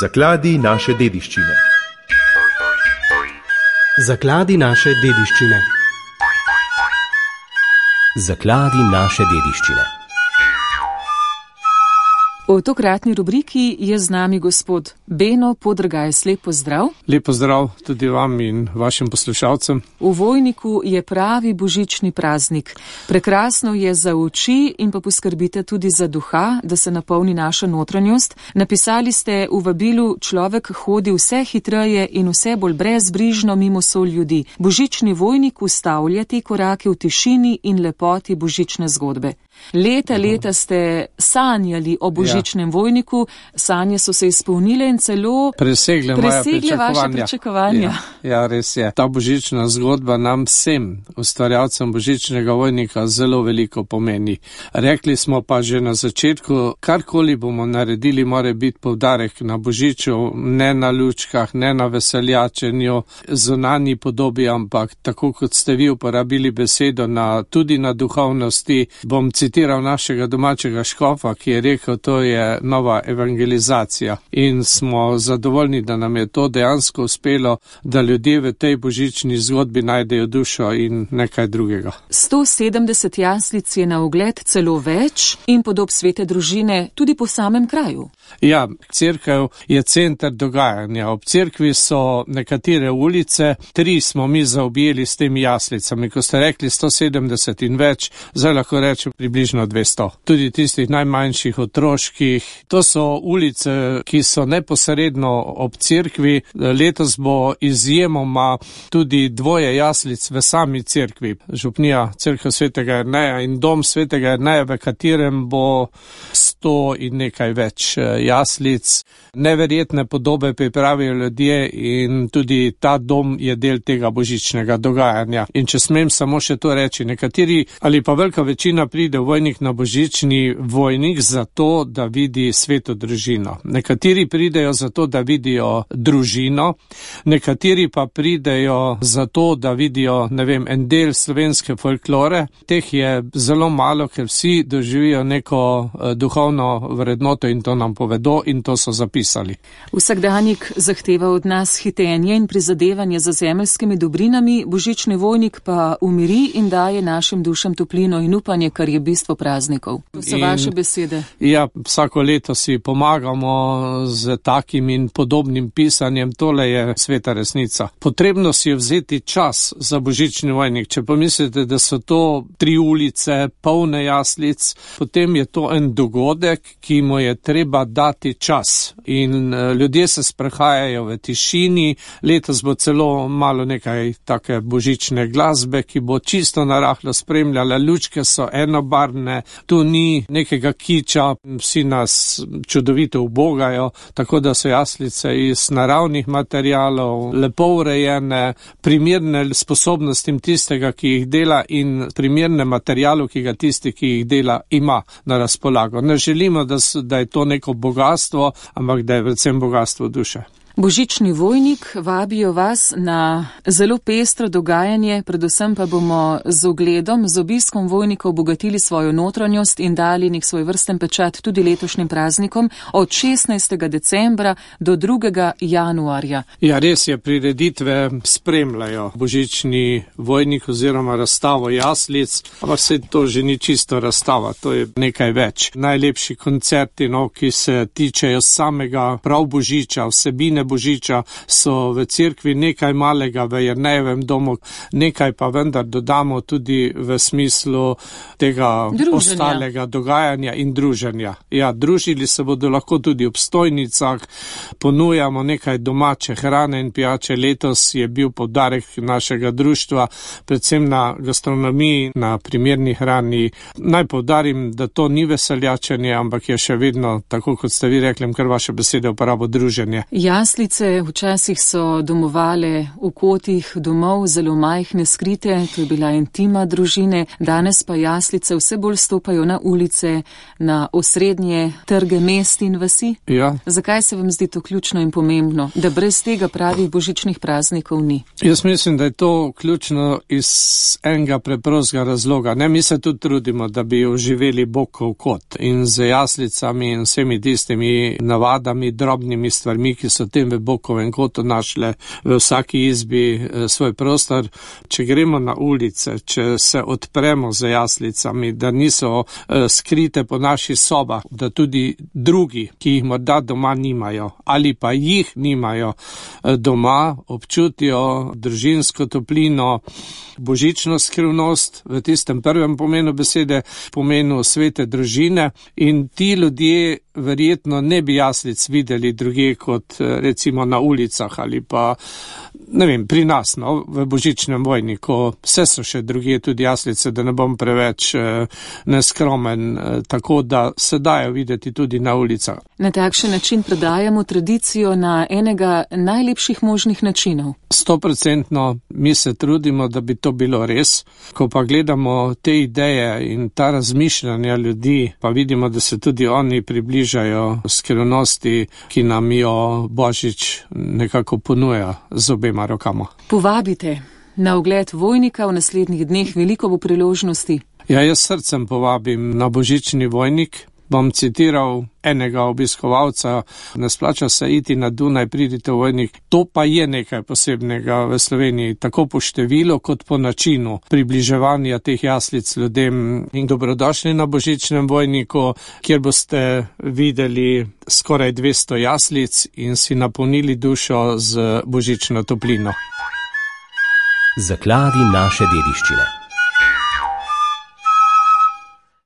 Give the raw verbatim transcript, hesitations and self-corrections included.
Zakladi naše dediščine. Zakladi naše dediščine. Zakladi naše dediščine. V tokratni rubriki je z nami gospod Beno Podrgajs. Lep pozdrav. Lep pozdrav tudi vam in vašim poslušalcem. V Vojniku je pravi božični praznik. Prekrasno je za oči in pa poskrbite tudi za duha, da se napolni naša notranjost. Napisali ste v vabilu: človek hodi vse hitreje in vse bolj brezbrižno mimo sol ljudi. Božični Vojnik ustavlja te korake v tišini in lepoti božične zgodbe. Leta, leta ste sanjali o božičnem ja. Vojniku, sanje so se izpolnile in celo presegle, presegle vaše pričakovanja. Ja, ja, res je. Ta božična zgodba nam vsem, ustvarjalcem božičnega Vojnika, zelo veliko pomeni. Rekli smo pa že na začetku, karkoli bomo naredili, mora biti poudarek na božiču, ne na lučkah, ne na veseljačenju, zunanji podobi, ampak tako kot ste vi uporabili besedo, na, tudi na duhovnosti. Bom citiral našega domačega škofa, ki je rekel, to je nova evangelizacija. In smo zadovoljni, da nam je to dejansko uspelo, da ljudje v tej božični zgodbi najdejo dušo in nekaj drugega. sto sedemdeset jaslic je na ogled, celo več, in podob svete družine tudi po samem kraju. Ja, cerkev je center dogajanja. Ob cerkvi so nekatere ulice, tri smo mi zaobjeli s temi jaslicami. Ko ste rekli sto sedemdeset in več, zdaj lahko rečem približno dvesto. Tudi tistih najmanjših otroških. To so ulice, ki so neposredno ob cerkvi. Letos bo izjemoma tudi dvoje jaslic v sami cerkvi. Župnija cerkev svetega Jerneja in dom svetega Jerneja, v katerem bo sto in nekaj več jaslic. Neverjetne podobe pripravijo ljudje in tudi ta dom je del tega božičnega dogajanja. In če smem samo še to reči, nekateri ali pa velika večina pride v Vojnik na božični Vojnik zato, da vidi sveto družino. Nekateri pridejo zato, da vidijo družino, nekateri pa pridejo zato, da vidijo, ne vem, en del slovenske folklore. Teh je zelo malo, ker vsi doživijo neko duhovno vrednoto in to nam povedo in to so zapisali. Vsakdanjik zahteva od nas hitenje in prizadevanje za zemeljskimi dobrinami, božični Vojnik pa umiri in daje našim dušam toplino in upanje, kar je bistvo praznikov. To so in, vaše besede. Ja, vsako leto si pomagamo z takim in podobnim pisanjem. Tole je sveta resnica. Potrebno si je vzeti čas za božični Vojnik. Če pomislite, da so to tri ulice, polne jaslic, potem je to en dogodek, ki mu je treba dati čas. In ljudje se sprehajajo v tišini. Letos bo celo malo nekaj take božične glasbe, ki bo čisto narahlo spremljala. Lučke so enobarvne, tu ni nekega kiča, vsi nas čudovito ubogajo, tako da so jaslice iz naravnih materialov, lepo urejene, primerne sposobnostim tistega, ki jih dela in primerne materialu, ki ga tisti, ki jih dela, ima na razpolago. Ne želimo, da, da je to neko bogatstvo, ampak da je predvsem bogatstvo duše. Božični Vojnik, vabijo vas na zelo pestro dogajanje, predvsem pa bomo z ogledom, z obiskom Vojnika obogatili svojo notranjost in dali nek svoj vrsten pečat tudi letošnjim praznikom od šestnajstega decembra do drugega januarja. Ja, res je, prireditve spremljajo Božični Vojnik oziroma razstavo jaslic, ampak se to že ni čisto razstava, to je nekaj več. Najlepši koncerti, no, ki se tičejo samega prav Božiča, vsebine Božiča, so v cerkvi, nekaj malega v Jernejevem domu, nekaj pa vendar dodamo tudi v smislu tega druženja. Ostalega dogajanja in druženja. Ja, družili se bodo lahko tudi ob stojnicah, ponujamo nekaj domače hrane in pijače. Letos je bil poudarek našega društva predvsem na gastronomiji, na primerni hrani. Naj poudarim, da to ni veseljačenje, ampak je še vedno, tako kot ste vi rekli, kar vaše besede uporabo, druženje. Jaz Jaslice včasih so domovale v kotih domov, zelo majhne, skrite, to je bila intima družine, danes pa jaslice vse bolj stopajo na ulice, na osrednje trge mest in vasi. Ja. Zakaj se vam zdi to ključno in pomembno, da brez tega pravih božičnih praznikov ni? Jaz mislim, da je to ključno iz enega preprostega razloga. Ne, mi se tudi trudimo, da bi oživeli Bogov kot in z jaslicami in vsemi tistimi navadami, drobnimi stvarmi, ki so tem v Bogovem kotu našle v vsaki izbi svoj prostor. Če gremo na ulice, če se odpremo z jaslicami, da niso skrite po naših sobah, da tudi drugi, ki jih morda doma nimajo ali pa jih nimajo doma, občutijo družinsko toplino, božično skrivnost v tistem prvem pomenu besede, pomenu svete družine, in ti ljudje verjetno ne bi jaslic videli druge kot recimo na ulicah ali pa, ne vem, pri nas, no, v božičnem vojniku. Vse so še druge tudi jaslice, da ne bom preveč eh, neskromen, eh, tako da se dajo videti tudi na ulicah. Na takšen način predajamo tradicijo na enega najlepših možnih načinov. Stoprocentno mi se trudimo, da bi to bilo res. Ko pa gledamo te ideje in ta razmišljanja ljudi, pa vidimo, da se tudi oni približajo skrivnosti, ki nam jo Božič nekako ponuja z obema rokama. Povabite na ogled Vojnika v naslednjih dneh, veliko bo priložnosti. Ja, jaz srcem povabim na božični Vojnik. Bom citiral enega obiskovalca: ne splača se iti na Dunaj, pridite v Vojnik. To pa je nekaj posebnega v Sloveniji, tako po številu kot po načinu približevanja teh jaslic ljudem. In dobrodošli na božičnem Vojniku, kjer boste videli skoraj dvesto jaslic in si napolnili dušo z božično toplino. Zakladi naše dediščine.